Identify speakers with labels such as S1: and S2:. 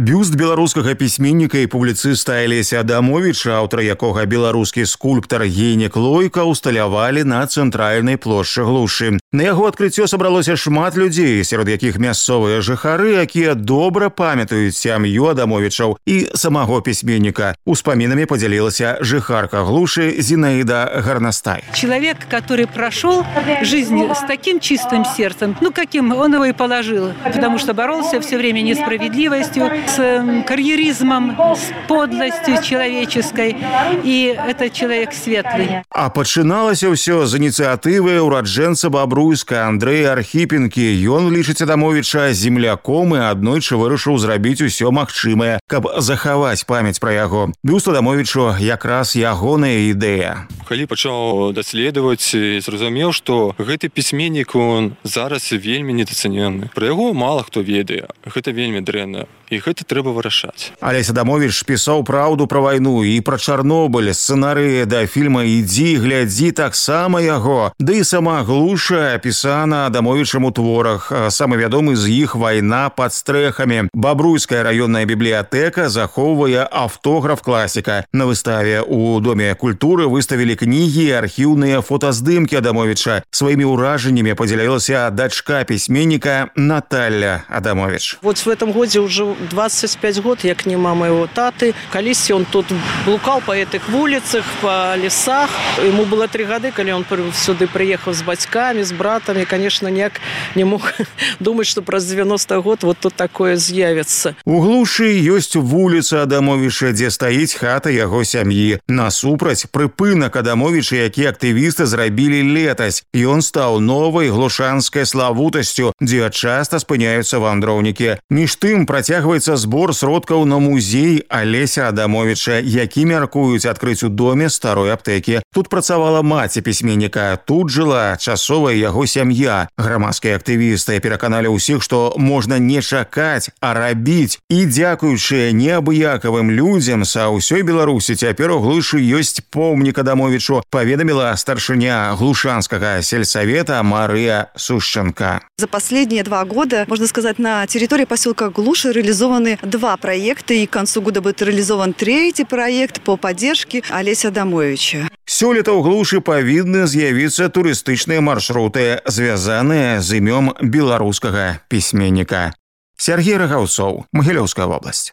S1: Бюст беларускага пісьменніка і публіцыста Алеся Адамовіча, аўтар якога беларускі скульптар Генек Лойка усталявалі на цэнтральнай плошчы Глушы. На яго адкрыццё сабралося шмат людзей, сярод якіх мясцовыя жыхары, якія добра памятаюць сям'ю Адамовічаў і самого пісьменніка. Успамінамі подзялілася жыхарка Глушы Зинаида Горностай.
S2: Человек, который прошел жизнь с таким чистым сердцем, каким он его и положил, потому что боролся все время несправедливостью, с карьеризмом, с подлостью человеческой, и это человек светлый.
S1: А пачыналася ўсё з ініцыятывы ураджэнца Бабруйска Андрэя Архіпенкі. Ён лічыць Адамовіча земляком і аднойчы вырашыў зрабіць усё магчымае, каб захаваць памяць пра яго. Бюст Адамовічу якраз ягоная ідэя.
S3: Калі пачаў даследаваць, зразумеў, што гэты пісьменнік, он зараз вельмі недацэнены. Пра яго мала хто ведае. Гэта вельмі дрэнна. І гэта трэба вырашаць.
S1: Алесь Адамовіч пісаў праўду пра вайну і пра Чарнобыль. Сцэнарыі да фільма «Ідзі, глядзі» таксама яго. Да і сама Глуша апісана Адамовічам у творах. Самы вядомы з іх «Вайна пад стрэхамі». Бабруйская раённая бібліятэка захоўвае аўтограф класіка. На выставе у Доме культуры выставілі кнігі і архіўныя фотаздымкі Адамовіча. Сваімі ўражаннямі падзялілася дачка пісьменніка Наталья Адамович.
S4: Вот в этом году уже 25 год, як нема моего таты. Колись он тут блукал по этих улицах, по лесах. Ему было 3 года, когда он сюда приехал с батьками, с братом. И, конечно, не мог думать, что про 90 год вот тут такое з'явится.
S1: У Глушы ёсць вуліца Адамовіча, дзе стаіць хата яго сям'і. Насупраць прыпынак Адамовіча, які актывісты зрабілі летась. Ён стаў новай глушанскай славутасцю, дзе часта спыняюцца вандроўнікі. Між тым працягваецца збор сродкаў на музей Алеся Адамовіча, які мяркуюць адкрыць у доме старой аптэкі. Тут працавала маці пісьменніка, тут жыла часовая яго сям'я. Грамадскія актывісты пераканалі ўсіх, што можна не чакаць, а рабіць. І дзякуючы неабыякавым людзям са ўсёй Беларусі цяпер у Глушы ёсць помнік Адамовічу, паведаміла старшыня глушанскага сельсовета Мария Сушченко.
S5: За последние 2 года, можно сказать, на территории поселка Глуши реализованы 2 проекта, и к концу года будет реализован 3-й проект по поддержке Алеся Адамовича.
S1: Сёлета ў Глушы павінны з'явіцца турыстычныя маршруты, звязаныя з імём беларускага пісьменніка. Сергей Рагаўцоў, Магілёўская вобласць.